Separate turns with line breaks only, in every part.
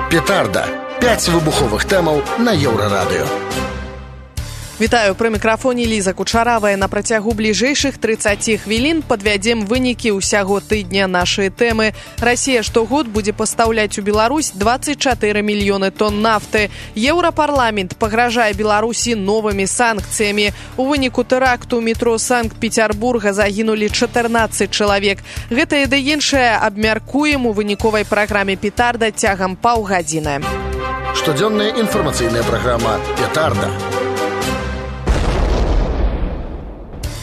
Петарда. 5 выбуховых тэмаў на Еўрарадыё.
Вітаю, пры мікрафоне Ліза Кучаравая. На працягу бліжэйшых 30 хвілін падвядзем вынікі ўсяго тыдня нашай тэмы. Расія штогод будзе пастаўляць у Беларусь 24 мільёны тонн нафты. Еўрапарламент пагражае Беларусі новымі санкцыямі. У выніку тэракту ў метро Санкт-Петербурга загінулі 14 чалавек. Гэтае ды іншае абмяркуем у выніковай праграме «Петарда» цягам паўгадзіны.
Штодзённая інфармацыйная праграма «Петарда».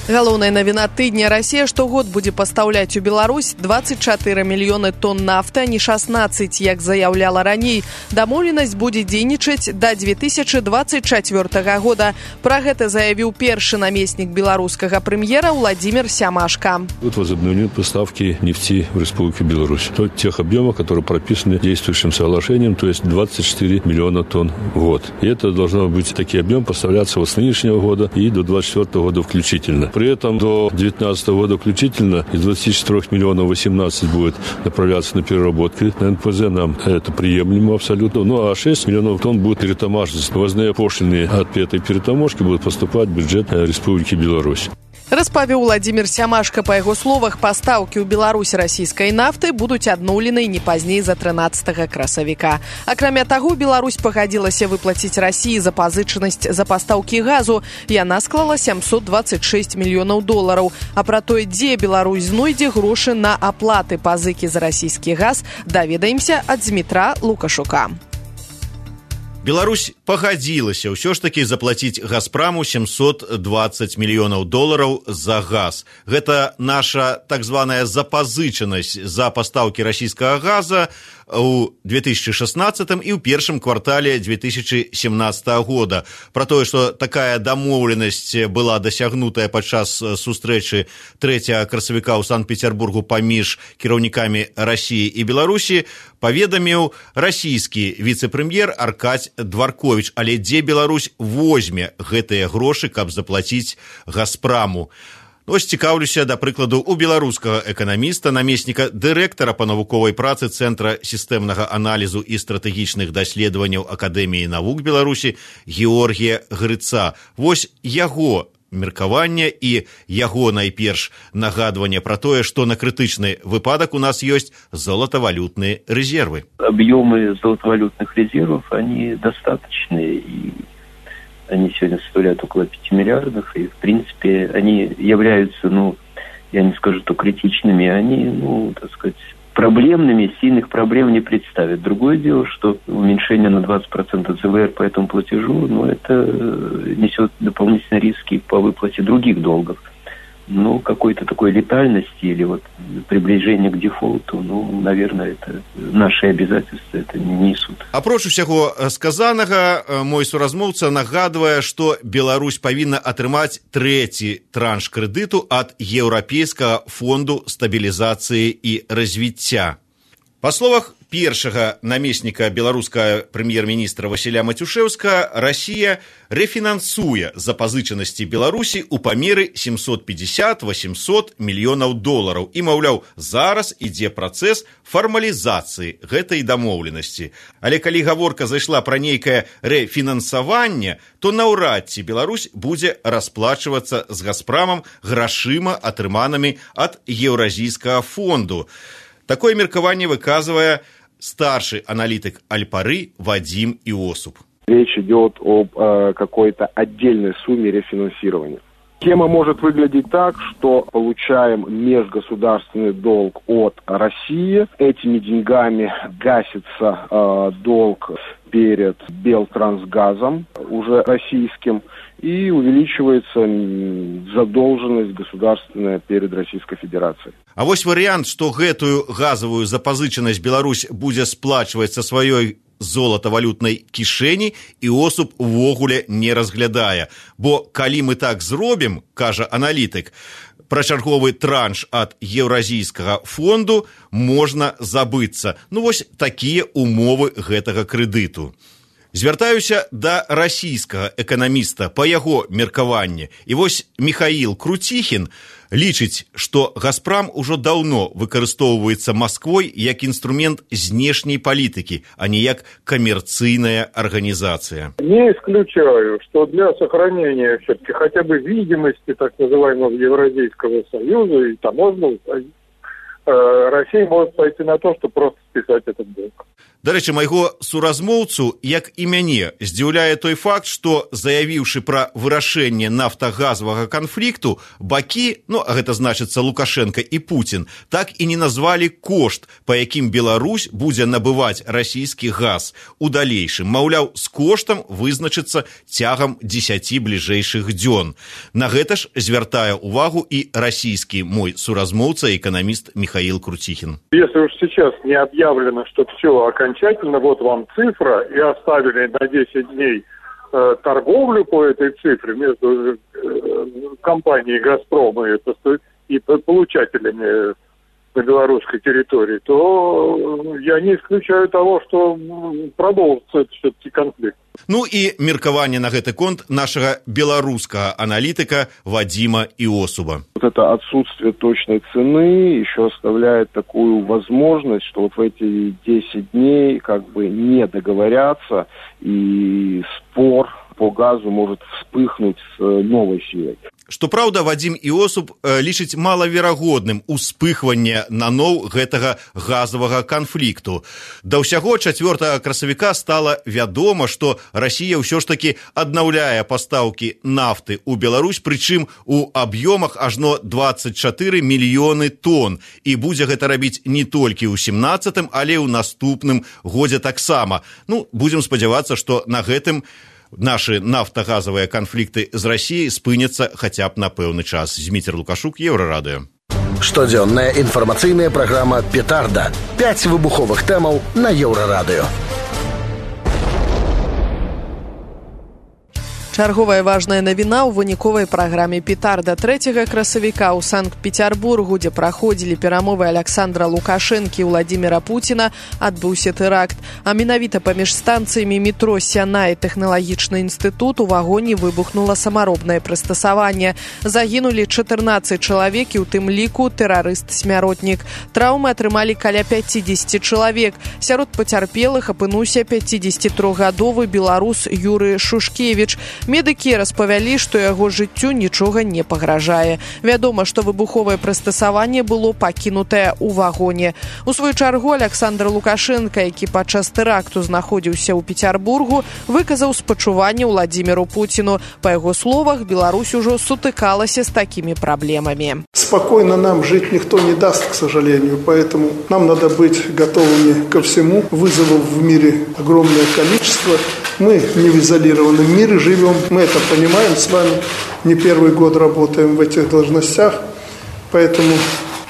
Галоўная навіна тыдня. Расія штогод будзе пастаўляць у Беларусь 24 мільёны тонн нафты, а не 16, як заяўляла раней. Дамоўленасць будзе дзейнічаць да 2024 года. Пра гэта заявіў першы намеснік беларускага прэм'ера Владимир Сямашко.
Вот возобновление поставки нефти в Республику Беларусь. То тех объемов, которые прописаны действующим соглашением, то есть 24 миллиона тонн в год. И это должно быть такие объемы поставляться с нынешнего года и до 2024 года включительно. При этом до 2019 года включительно из 24 миллионов 18 будет направляться на переработки. На НПЗ нам это приемлемо абсолютно. Ну а 6 миллионов тонн будет перетаможиться. Ввозные пошлины от этой перетаможки будут поступать в бюджет Республики Беларусь.
Распавіў Владимир Сямашко. Па яго словах, пастаўкі ў Беларусь расійскай нафты будуць адноўлены не пазней за 13 красавіка. Акрамя таго, Беларусь пагадзілася выплаціць Расіі запазычанасць за пастаўкі газу. Яна склала 726 мільёнаў долараў. А пра тое, дзе Беларусь знойдзе грошы на аплаты пазыкі за расійскі газ, даведаемся ад Дмітра Лукашука.
Беларусь пагадзілася ўсё ж такі заплаціць «Газпраму» 720 мільёнаў долараў за газ. Гэта наша так званая запазычанасць за пастаўкі расійскага газа ў 2016 і ў першым квартале 2017 года. Пра тое, што такая дамоўленасць была дасягнутая падчас сустрэчы 3 красавіка ў Санкт-Петербургу паміж кіраўнікамі Расіі і Беларусі, паведаміў расійскі віцэ-прэм'ер Аркадзь Дварковіч. Але дзе Беларусь возьме гэтыя грошы, каб заплаціць «Газпраму»? Ось цікаўлюся, да прыкладу, у беларускага эканаміста, намесніка дырэктара па навуковай працы Цэнтра сістэмнага аналізу і стратэгічных даследаванняў Акадэміі навук Беларусі Георгія Грыца. Вось яго меркаванне і яго найперш нагадванне пра тое, што на крытычны выпадак у нас ёсць золотовалютные резервы.
Объемы золотовалютных резервов, они достаточные, и они сегодня составляют около 5 миллиардов, и, в принципе, они являются, я не скажу, что критичными, они, так сказать, проблемными, сильных проблем не представят. Другое дело, что уменьшение на 20% ЦВР по этому платежу, это несет дополнительные риски по выплате других долгов. Какой-то такой летальности или приближение к дефолту, наверное, это наши обязательства это не несут.
Апроч усяго сказанага, мой суразмоўца нагадвае, што Беларусь павінна атрымаць трэці транш крэдыту ад Еўрапейскага фонду стабілізацыі і развіцця. Па словах першага намесніка беларускага прэм'ер-міністра Васіля Матюшэўскага, Расія рэфінансуе запазычанасці Беларусі ў памеры 750-800 мільёнаў долараў. І, маўляў, зараз ідзе працэс фармалізацыі гэтай дамоўленасці. Але калі гаворка зайшла пра нейкае рэфінансаванне, то наўрад ці Беларусь будзе расплачвацца з «Газпрамам» грашыма, атрыманымі ад Еўразійскага фонду. Такое меркаванне выказывае старший аналитик Аль-Пары Вадим Иосуп.
Речь идет об какой-то отдельной сумме рефинансирования. Схема может выглядеть так, что получаем межгосударственный долг от России. Этими деньгами гасится долг перед Белтрансгазом, уже российским, и увеличивается задолженность государственная перед Российской Федерацией.
А вось вариант, что гэтую газовую запазычанасць Беларусь будзе сплачваць са сваёй золотовалютнай кішэні, Іосуп увогуле не разглядае. Бо калі мы так зробім, кажа аналітык, пра чарговы транш ад Еўразійскага фонду можна забыцца. Вось такія умовы гэтага крэдыту. Звяртаюся да расійскага эканаміста па яго меркаванні. І вось Михаил Крутихин лічыць, што «Газпрам» ужо даўно выкарыстоўваецца Масквой як інструмент знешняй палітыкі, а не як камерцыйная организация.
Не исключаю, что для сохранения все-таки хотя бы видимости так называемого Евразийского союза и таможенного союза, Россия может пойти на то, чтобы просто списать этот долг.
Дарэчы, майго суразмоўцу, як і мяне, здзіўляе той факт, што, заявіўшы пра вырашэнне нафтагазавага канфлікту, бакі, а гэта значыцца Лукашенко і Путін, так і не назвалі кошт, па якім Беларусь будзе набываць расійскі газ у далейшым. Маўляў, з коштам вызначыцца цягам 10 бліжэйшых дзён. На гэта ж звяртае увагу і расійскі мой суразмоўца, эканаміст Михаил Крутихин.
Если уж сейчас не объявлено, что все окончательно, вот вам цифра, и оставили на 10 дней торговлю по этой цифре между компанией «Газпром» и получателями на белорусской территории, то я не исключаю того, что продолжится все-таки конфликт.
І меркаванне на гэты конт нашага беларускага аналітыка Вадима Иосуба.
Вот это отсутствие точной цены еще оставляет такую возможность, что вот в эти 10 дней не договорятся, и спор по газу может вспыхнуть с новой силой.
Што праўда, Вадим Иосуб лічыць малаверагодным успыхванне наноў гэтага газавага канфлікту. Да ўсяго 4 красавіка стала вядома, што Расія ўсё ж такі аднаўляе пастаўкі нафты ў Беларусь, прычым у аб'ёмах ажно 24 мільёны тонн. І будзе гэта рабіць не толькі ў 17-м, але ў наступным годзе таксама. Будзем спадзявацца, што на гэтым наши нафтагазовые конфликты з Россией спыняцца хотя б на пэўны час. Зміцер Лукашук, Еўрарадыё.
Штодзённая інфармацыйная праграма «Петарда». 5 выбуховых тэмаў на Еўрарадыё.
Чарговая важная навіна ў выніковай праграме «Петарда». 3 красавіка ў Санкт-Петербургу, дзе праходзілі перамовы Александра Лукашэнкі і Владимира Путіна, адбыўся тэракт. А менавіта паміж станцыямі метро «Сяна» і тэхналагічны інстытут у вагоне выбухнула самаробнае прыстасаванне. Загінулі 14 чалавек, і ў тым ліку тэрарыст-смяротнік. Траўмы атрымалі каля 50 чалавек. Сярод пацярпелых апынуўся 53-гадовы беларус Юрый Шушкевіч. Медыкі распавялі, што яго жыццю нічога не пагражае. Вядома, што выбуховае прыстасаванне было пакінутае ў вагоне. У сваю чаргу Александр Лукашенко, які падчас тэракту знаходзіўся ў Петербургу, выказаў спачуванне Владимиру Путину. Па яго словах, Беларусь ужо сутыкалася з такімі праблемамі.
Спокойно нам жить никто не даст, к сожалению, поэтому нам надо быть готовыми ко всему. Вызовов в мире огромное количество. Мы не в изолированном мире живем, мы это понимаем с вами. Не первый год работаем в этих должностях, поэтому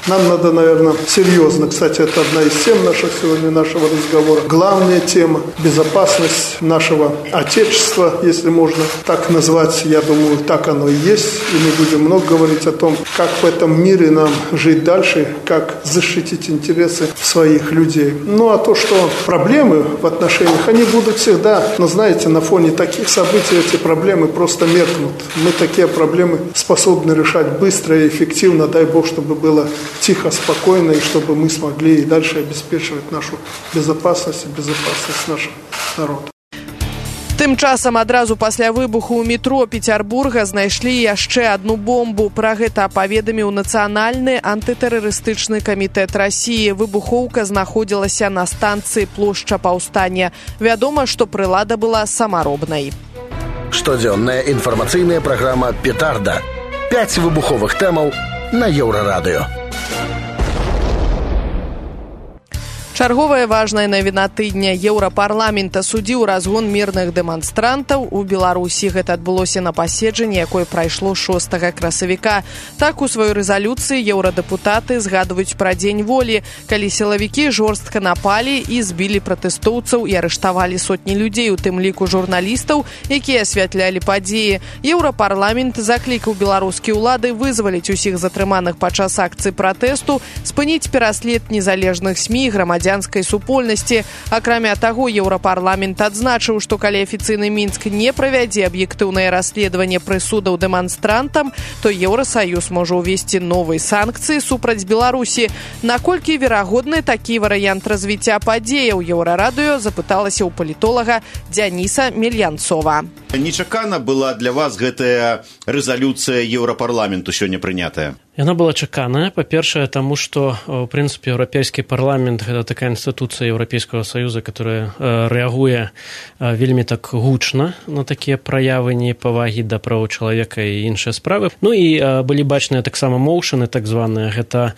нам надо, наверное, серьезно. Кстати, это одна из тем нашего разговора. Главная тема – безопасность нашего Отечества, если можно так назвать. Я думаю, так оно и есть. И мы будем много говорить о том, как в этом мире нам жить дальше, как защитить интересы своих людей. А то, что проблемы в отношениях, они будут всегда. Но, знаете, на фоне таких событий эти проблемы просто меркнут. Мы такие проблемы способны решать быстро и эффективно. Дай Бог, чтобы было тихо, спокойно, и чтобы мы смогли и дальше обеспечивать нашу безопасность и безопасность нашего народа.
Тым часам адразу пасля выбуху ў метро Петербурга знайшлі яшчэ одну бомбу. Пра гэта паведаміў Нацыянальны антытэрарыстычны камітэт Расіі. Выбухоўка знаходзілася на станцыі плошча Паўстання. Вядома, што прылада была самаробнай.
Штодзённая інфармацыйная праграма «Петарда». 5 выбуховых тэмаў на Еўрарадыё.
Чарговая важная навіна тыдня. Еўрапарламент асудзіў разгон мірных дэманстрантаў у Беларусі. Гэта адбылося на паседжанні, якое прайшло 6 красавіка. Так, у сваёй рэзалюцыі еўрадэпутаты згадваюць пра дзень волі, калі сілавікі жорстка напалі і збілі пратэстоўцаў і арыштавалі сотні людзей, у тым ліку журналістаў, якія асвятлялі падзеі. Еўрапарламент заклікаў беларускія ўлады вызваліць усіх затрыманых падчас акцыі пратэсту, спыніць пераслед незалежных СМІ, грамадзян грамадзянскай супольнасці. Акрамя таго, Еўрапарламент адзначыў, што калі афіцыйны Мінск не правядзе аб'ектыўнае расследаванне прысудаў дэманстрантам, то Еўрасаюз можа ўвесці новыя санкцыі супраць Беларусі. Наколькі верагодны такі варыянт развіцця падзеяў, Еўрарадыё запыталася ў палітолага Дзяніса Мельянцова.
Нечакана была для вас гэтая рэзалюцыя Еўрапарламенту сёння прынятая?
Яна была чаканая, па-першае, таму што, у прынцыпе, Еўрапейскі парламент – гэта такая інстытуцыя Еўрапейскага Саюза, которая рэагуе вельмі так гучна на такія праявы непавагі да правоў чалавека і іншыя справы. Ну і былі бачныя таксама моўшыны, так званыя, гэта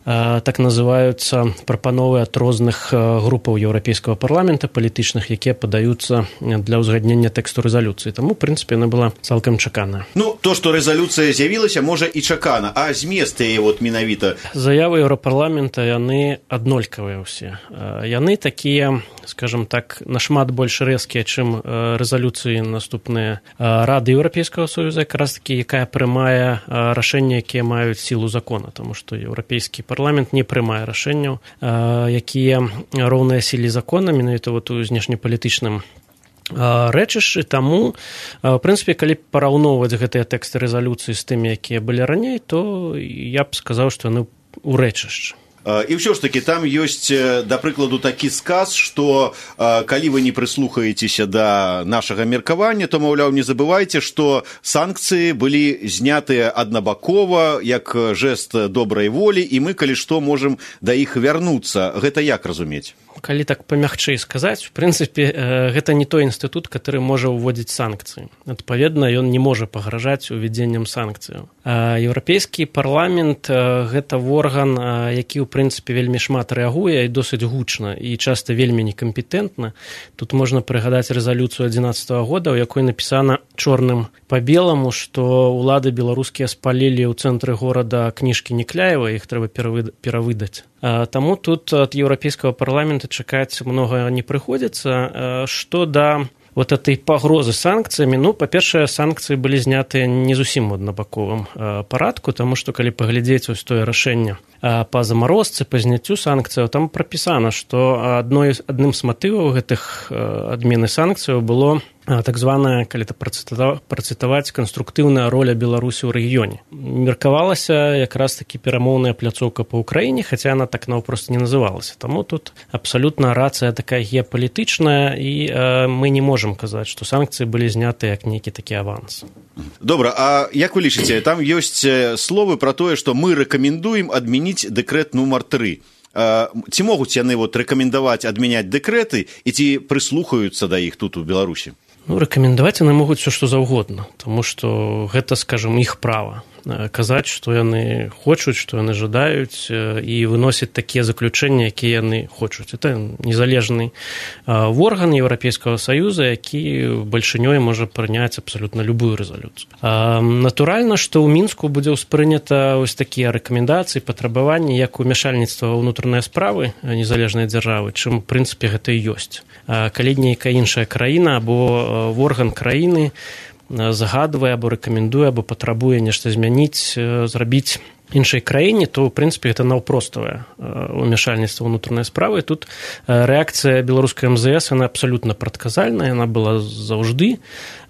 так называюцца прапановы ад розных групаў Еўрапейскага парламента палітычных, якія падаюцца для ўзгаднення тэксту рэзалюцыі. Таму, у прынцыпе, яна была цалкам чаканая.
Ну, то, што рэзалюцыя з'явілася, можа і чакана, а змест яе менавіта?
Заявы Еўрапарламента, яны аднолькавыя ўсе. Яны такія, скажем так, нашмат больш рэзкія, чым рэзалюцыі наступныя Рады Еўрапейскага Саюза, якраз такі, якая прымае рашэнні, якія маюць сілу закона, таму што еўрапейскі парламент не прымае рашэнняў, якія роўныя сіле закона, менавіта у знешнепалітычным рэчышчы. Таму, в прынцыпе, калі параўноўваць гэтыя тэксты рэзалюцыі з тымі, якія былі раней, то я б сказаў, што яны ў рэчышчы.
І ўсё ж такі там ёсць, да прыкладу, такі сказ, што калі вы не прыслухаецеся да нашага меркавання, то, маўляў, не забывайце, што санкцыі былі знятыя аднабакова, як жэст добрай волі, і мы, калі што, можам да іх вярнуцца. Гэта як разумець?
Калі так памягчэй сказаць, в прынцыпе, гэта не той інстытут, который можа ўводзіць санкцыі. Адпаведна, ён не можа пагражаць увядзеннем санкцыяў. Еўрапейскі парламент – гэта орган, які, у прынцыпе, вельмі шмат рэагуе і досыць гучна, і часта вельмі некампетэнтна. Тут можна прыгадаць рэзалюцыю 2011 года, у якой напісана чорным па беламу, што ўлады беларускія спалілі ў цэнтры горада кніжкі Некляева, іх трэба перавыдаць. Таму тут ад Еўрапейскага парламента чакаць многа не прыходзіцца. Што да вот этой пагрозы санкцыямі, ну, па-першае, санкцыі былі знятыя не зусім у аднабаковым парадку, таму што калі паглядзець вось тое рашэнне па замарозцы, па зняццю санкцыяў, там прапісана, што адным з матываў гэтых адмены санкцыяў было так званая, калі это працытаваць, канструктыўная роля Беларусі ў рэгіёне. Меркавалася якраз такі перамоўная пляцоўка па Ўкраіне, хаця яна так наўпрост не называлася. Таму тут абсалютна рацыя такая геапалітычная, і мы не можам казаць, што санкцыі былі знятыя як нейкі такі аванс.
Добра, а як вы лічыце, там ёсць словы пра тое, што мы рэкамендуем адмяніць дэкрэт нумар 3. Ці могуць яны рэкамендаваць адмяняць дэкрэты і ці прыслухаюцца да іх тут у Беларусі?
Ну, рэкамендаваць яны могуць все, што заўгодна, таму што гэта, скажам, іх права. Казаць, што яны хочуць, што яны жадаюць, і выносяць такія заключэнні, якія яны хочуць. Это незалежны орган Еўрапейскага Саюза, які бальшынёй можа прыняць абсалютна любую рэзалюцыю. Натуральна, што ў Мінску будзе ўспрынята ось такія рэкамендацыі, патрабаванні, як умяшальніцтва ва ўнутраныя справы незалежнай дзяржавы, чым, у прынцыпе, гэта і ёсць. Калі нейкая іншая краіна або орган краіны загадвае або рэкамендуе, або патрабуе нешта змяніць, зрабіць іншай краіне, то, ў прынцыпе, гэта наўпроставае умяшальніцтва ўнутранай справы. Тут рэакцыя беларускай МЗС, яна абсалютна прадказальная, яна была заўжды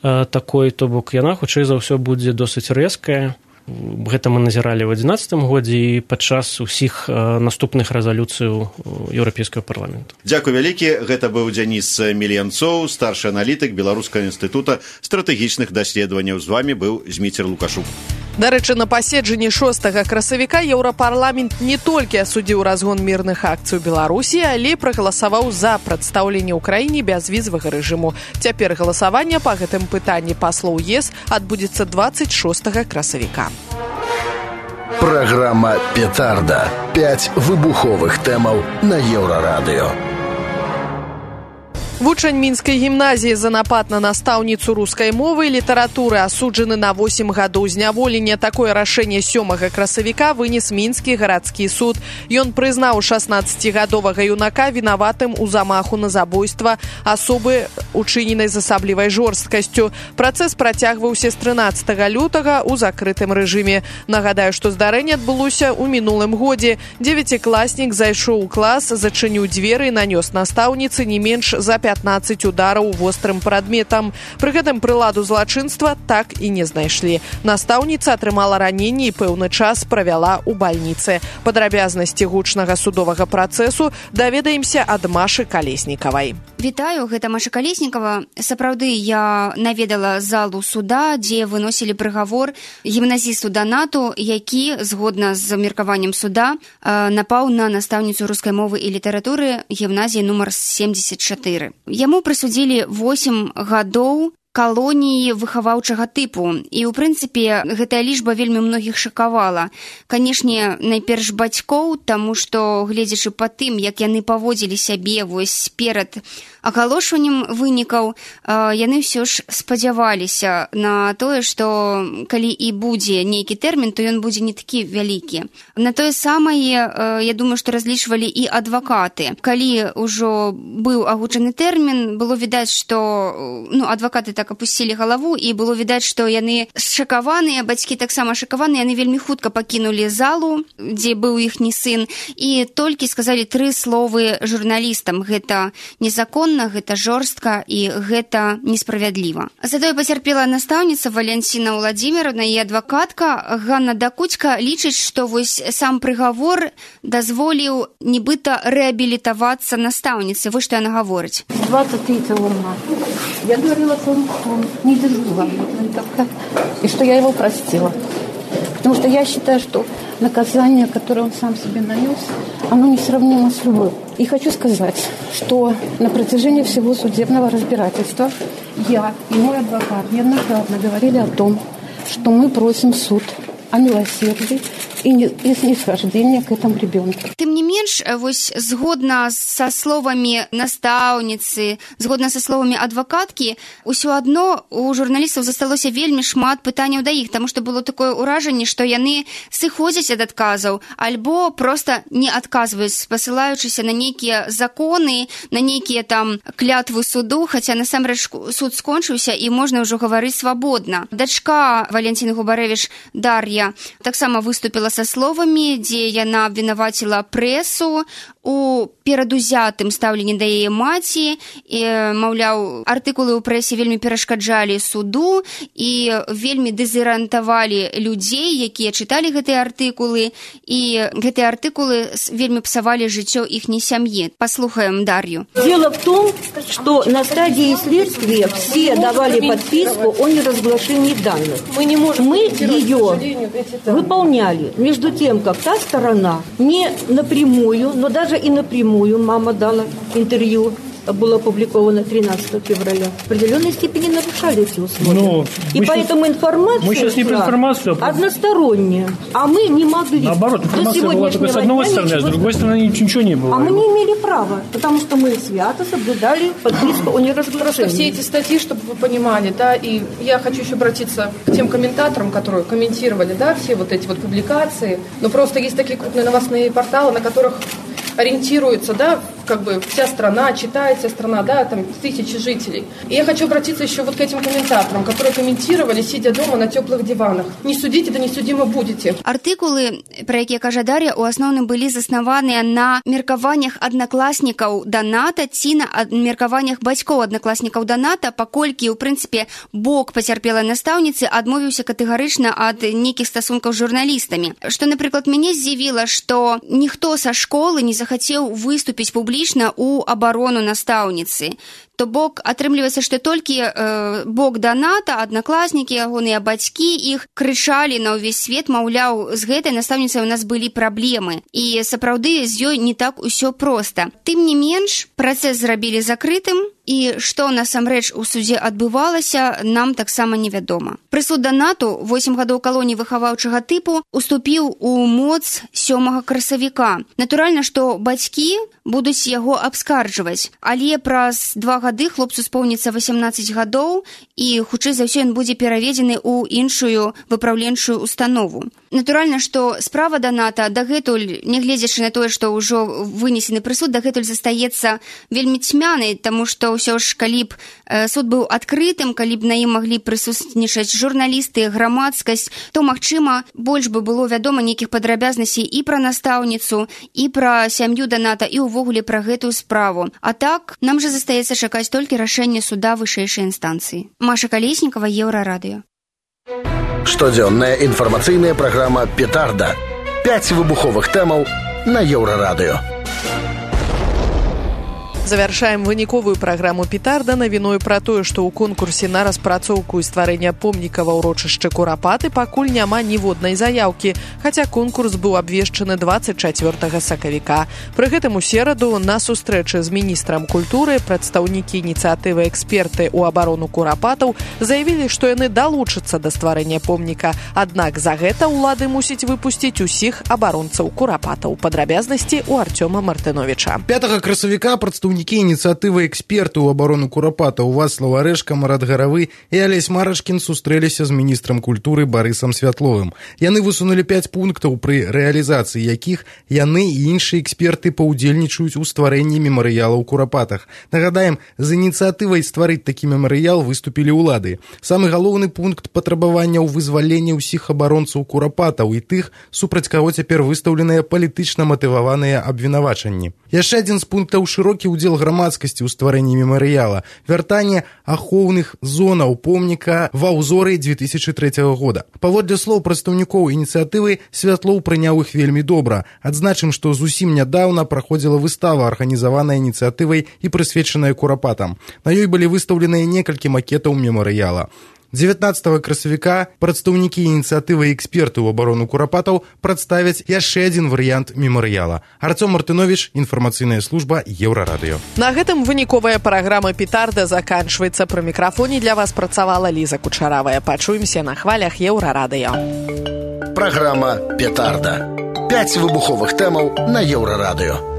такой, то бок яна, хутчэй за ўсё, будзе досыць рэзкая. Гэта мы назіралі ў 2011 годзе і падчас усіх наступных рэзалюцый Еўрапейскага парламенту.
Дзякуй вялікі. Гэта быў Дзяніс Мельянцоў, старшы аналітык Беларускага інстытута стратэгічных даследаванняў. З вамі быў Зміцер Лукашук.
Дарэчы, на паседжанні 6 красавіка Еўрапарламент не толькі асудзіў разгон мірных акцый у Беларусі, але і прагаласаваў за прадстаўленне ў краіне бязвізавага рэжыму. Цяпер галасаванне па гэтым пытанні паслоў ЕС адбудзецца 26 красавіка.
Программа «Петарда». 5 выбуховых тэмаў на Еўрарадыё.
Вучань мінскай гімназіі за напад на настаўніцу рускай мовы і літаратуры асуджаны на 8 гадоў зняволення. Такое рашэнне 7 красавіка вынес мінскі гарадскі суд. Ён прызнаў 16-гадовага юнака вінаватым у замаху на забойства асобы, учыненай з асаблівай жорсткасцю. Працэс працягваўся з 13 лютага ў закрытым рэжыме. Нагадаю, што здарэнне адбылося ў мінулым годзе. 9-класнік зайшоў у клас, зачыніў дзверы і нанёс настаўніцы не менш за 15 удараў вострым прадметам. Пры гэтым прыладу злачынства так і не знайшлі. Настаўніца атрымала раненне і пэўны час правяла ў бальніцы. Падрабязнасці гучнага судовага працэсу даведаемся ад Машы Калеснікавай.
Вітаю, гэта Маша Калеснікава. Сапраўды, я наведала залу суда, дзе выносілі прыгавор гімназісту Данату, які, згодна з меркаваннем суда, напаў на настаўніцу рускай мовы і літаратуры гімназіі нумар 74. Яму прысудзілі 8 гадоў калоніі выхаваўчага тыпу. І, ў прынцыпе, гэтая лічба вельмі многіх шакавала. Канешне, найперш бацькоў, таму што, гледзячы па тым, як яны паводзілі сябе вось перад агалошваннем вынікаў, яны ўсё ж спадзяваліся на тое, што калі і будзе нейкі тэрмін, то ён будзе не такі вялікі. На тое самае, я думаю, што разлічвалі і адвакаты. Калі ўжо быў агучаны тэрмін, было відаць, што адвакаты так апусцілі галаву, і было відаць, што яны шакаваныя, бацькі таксама шакаваныя, яны вельмі хутка пакінулі залу, дзе быў іхні сын, і толькі сказалі 3 словы журналістам: гэта незаконна, гэта жорстка і гэта несправядліва. Затое пацярпела настаўніца Валянціна Владзіміровна і адвакатка Ганна Дакуцька лічыць, што вось сам прыгавор дазволіў нібыта рэабілітавацца настаўніцы. Вось што яна гаворыць.
23 марта я говорила, что он не дожила, и что я его простила. Потому что я считаю, что наказание, которое он сам себе нанес, оно несравнимо с любым. И хочу сказать, что на протяжении всего судебного разбирательства я и мой адвокат неоднократно говорили о том, что мы просим суд о милосердии и снисхождения к этому ребенку.
Тым не менш, вось згодна са словамі настаўніцы, згодна са словамі адвакаткі, усё адно у журналістаў засталося вельмі шмат пытанняў да іх, таму што было такое ўражанне, што яны сыходзяць ад адказаў альбо проста не адказваюць, спасылаючыся на нейкія законы, на нейкія там клятвы суду, хаця насамрэч суд скончыўся і можна ўжо гаварыць свабодна. Дачка Валянціны Губарэвіч Дар'я таксама выступіла са словамі, дзе яна абвінаваціла прэсу у перадузятым стаўленні да яе маці, і, маўляў, артыкулы ў прэсе вельмі перашкаджалі суду і вельмі дэзарыентавалі людзей, якія чыталі гэтыя артыкулы, і гэтыя артыкулы вельмі псавалі жыццё іхняй сям'і. Послухаем Дар'ю.
Дело в том, что на стадии следствия все давали подписку о неразглашении данных. Мы ее выполняли. Между тем, как та сторона не напрямую, но даже и напрямую, мама дала интервью, было опубликовано 13 февраля, в определенной степени нарушали эти условия. И поэтому информация
мы сейчас не про информацию,
односторонняя. А мы не могли.
Наоборот, информация была только с одной стороны, а с другой стороны ничего не было.
А мы не имели права, потому что мы свято соблюдали подписку о неразглашении.
Просто все эти статьи, чтобы вы понимали, да, и я хочу еще обратиться к тем комментаторам, которые комментировали, да, все вот эти вот публикации. Но просто есть такие крупные новостные порталы, на которых ориентируется, да, как бы вся страна, читает вся страна, да, там тысячи жителей. И я хочу обратиться еще вот к этим комментаторам, которые комментировали, сидя дома на теплых диванах. Не судите, да не судимы будете.
Артыкулы, пра якія кажа Дар'я, у асноўным былі заснаваныя на меркаваннях аднакласнікаў Даната ці на меркаваннях бацькоў аднакласнікаў Даната, паколькі, у прынцыпе, бок пацярпелай настаўніцы адмовіўся катэгарычна ад нейкіх стасункаў з журналістамі. Што, напрыклад, мяне здзівіла, што ніхто са школы не захацеў выступіць публічна ў абарону настаўніцы. То бок, атрымліваецца, што толькі бок Даната, аднакласнікі, ягоныя бацькі іх крычалі на ўвесь свет, маўляў, з гэтай настаўніцай у нас былі праблемы. І сапраўды з ёй не так усё проста. Тым не менш, працэс зрабілі закрытым, і што насамрэч у судзе адбывалася, нам таксама невядома. Прысуд Данату 8 гадоў калоніі выхаваўчага тыпу уступіў у моц 7 красавіка. Натуральна, што бацькі будуць яго абскарджваць, але праз 2 гады гады хлопцу споўніцца 18 гадоў, і хутчэй за ўсё ён будзе пераведзены ў іншую выпраўленчую установу. Натуральна, што справа Даната дагэтуль, нягледзячы на тое, што ўжо вынесены прысуд, дагэтуль застаецца вельмі цьмянай, таму што ўсё ж, калі б суд быў адкрытым, калі б на ім маглі прысутнічаць журналісты, грамадскасць, то, магчыма, больш бы было вядома нейкіх падрабязнасцей і пра настаўніцу, і пра сям'ю Даната, і ўвогуле пра гэтую справу. А так, нам жа застаецца чакаць толькі рашэння суда вышэйшай інстанцыі. Маша Калеснікава, Еўрарадыё.
Штодзённая інфармацыйная праграма «Петарда». 5 выбуховых тэмаў на Еўрарадыё.
Завяршаем выніковую праграму «Петарда» навіною пра тое, што ў конкурсе на распрацоўку і стварэння помніка ва ўрочышчы Курапаты пакуль няма ніводнай заяўкі, хаця конкурс быў абвешчаны 24 сакавіка. Пры гэтым у сераду на сустрэчы з міністрам культуры прадстаўнікі ініцыятывы эксперты ў абарону Курапатаў заявілі, што яны далучацца да стварэння помніка. Аднак за гэта ўлады мусіць выпусціць усіх абаронцаў Курапатаў. Падрабязнасці ў Артёма Мартыновіча.
5 красавіка прадстаўнікі ініцыятывы эксперты ў абарону Курапатаў Вацлаў Арэшка, Марат Гаравы і Алесь Марашкін сустрэліся з міністрам культуры Барысам Святловым. Яны высунулі 5 пунктаў, пры рэалізацыі якіх яны і іншыя эксперты паўдзельнічаюць у стварэнні мемарыяла ў Курапатах. Нагадаем, з ініцыятывай стварыць такі мемарыял выступілі ўлады. Самы галоўны пункт патрабавання ў вызваленні ўсіх абаронцаў Курапатаў і тых, супраць каго цяпер выстаўленыя палітычна матываваныя абвінавачанні. Яшчэ адзін з пунктаў шырокі ўдзел грамадскасці ў стварэнні мемарыяла, вяртанне ахоўных зонаў помніка ва ўзоры 2003 года. Паводле слоў прадстаўнікоў ініцыятывы, Святлоў прыняў іх вельмі добра. Адзначым, што зусім нядаўна праходзіла выстава, арганізаваная ініцыятывай і прысвечаная Курапатам. На ёй былі выстаўленыя некалькі макетаў мемарыяла. 19 красавіка прадстаўнікі ініцыятывы эксперты ў абарону Курапатаў прадставяць яшчэ адзін варыянт мемарыяла. Артём Мартыновіч, інфармацыйная служба Еўрарадыё.
На гэтым выніковая праграма «Петарда» заканчваецца. Пры мікрафоне для вас працавала Ліза Кучаравая. Пачуемся на хвалях Еўрарадыё.
Праграма «Петарда». 5 выбуховых тэмаў на Еўрарадыё.